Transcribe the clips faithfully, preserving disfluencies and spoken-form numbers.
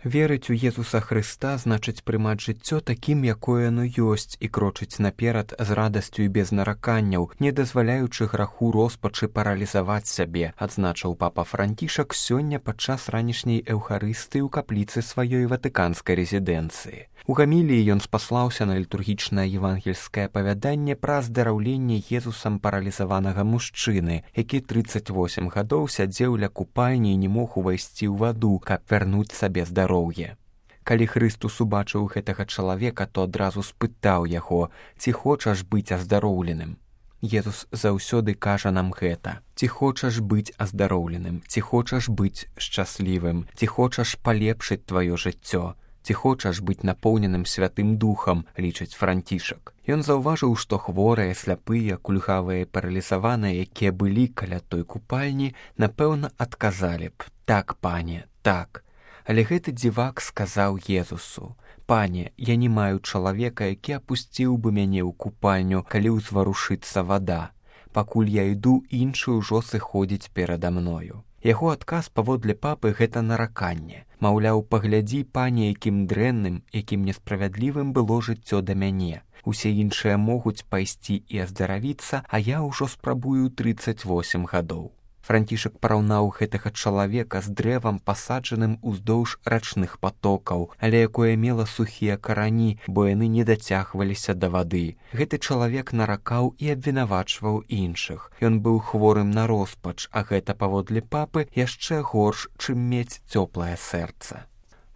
Верыць у Езуса Хрыста значыць прымаць жыццё такім, якое яно ёсць, і крочыць наперад з радасцю і без нараканняў, не дазваляючы граху роспачы паралізаваць сябе, адзначыў папа Францішак сёння падчас ранішняй эўхарыстыі ў капліцы сваёй ватыканскай рэзідэнцыі. У гаміліі ён спаслаўся на літургічнае евангельскае апавяданне пра аздараўленне Езусам паралізаванага мужчыны, які трыццаць восем гадоў сядзеў ля купальні і не мог увайсці ў ваду, каб вярнуць сабе здароўе. Калі Хрыстус убачыў гэтага чалавека, то адразу спытаў яго: «Ці хочаш быць аздароўленым?» Езус заўсёды кажа нам гэта: «Ці хочаш быць аздароўленым? Ці хочаш быць шчаслівым? Ці хочаш палепшыць тваё жыццё? Ці хочаш быць напоўненым Святым Духам?» — лічыць Францішак. Ён заўважыў, што хворыя, сляпыя, кульгавыя, паралізаваныя, якія былі каля той купальні, напэўна, адказалі б: «Так, пане, так». Але гэты дзівак сказаў Езусу: «Пане, я не маю чалавека, які апусціў бы мяне ў купальню, калі ўзварушыцца вада. Пакуль я іду, іншы ўжо сыходзіць перада мною». Яго адказ паводле папы — гэта нараканне. Маўляў, паглядзі, пане, якім дрэнным, якім несправядлівым было жыццё да мяне. Усе іншыя могуць пайсці і аздаравіцца, а я ўжо спрабую трыццаць восем гадоў. Францішак параўнаў гэтага чалавека з дрэвам, пасаджаным уздоўж рачных патокаў, але якое мела сухія карані, бо яны не дацягваліся да вады. Гэты чалавек наракаў і абвінавачваў іншых. Ён быў хворым на роспач, а гэта, паводле папы, яшчэ горш, чым мець цёплае сэрца.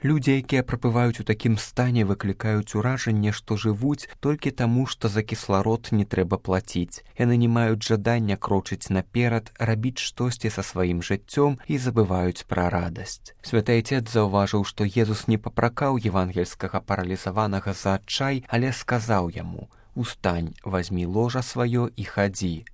Людзі, якія прабываюць у такім стане, выклікаюць уражанне, што жывуць толькі таму, што за кісларод не трэба плаціць. Яны не маюць жадання крочыць наперад, рабіць штосьці са сваім жыццём і забываюць пра радасць. Святы Айцец заўважыў, што Езус не папракаў евангельскага паралізаванага за адчай, але сказаў яму: «Устань, вазьмі ложа сваё і хадзі».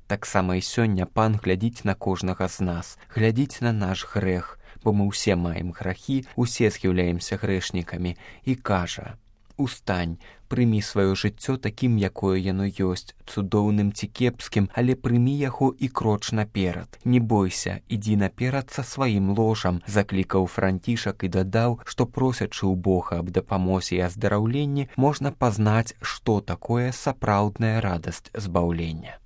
Таксама і сёння Пан глядзіць на кожнага з нас, глядзіць на наш грэх, бо мы ўсе маем грахі, усе з'яўляемся грэшнікамі, і кажа: «Устань, прымі сваё жыццё такім, якое яно ёсць, цудоўным ці кепскім, але прымі яго і кроч наперад. Не бойся, ідзі наперад са сваім ложам», — заклікаў Францішак і дадаў, што просячы ў Бога аб дапамозе і аздараўленні, можна пазнаць, што такое сапраўдная радасць збаўлення.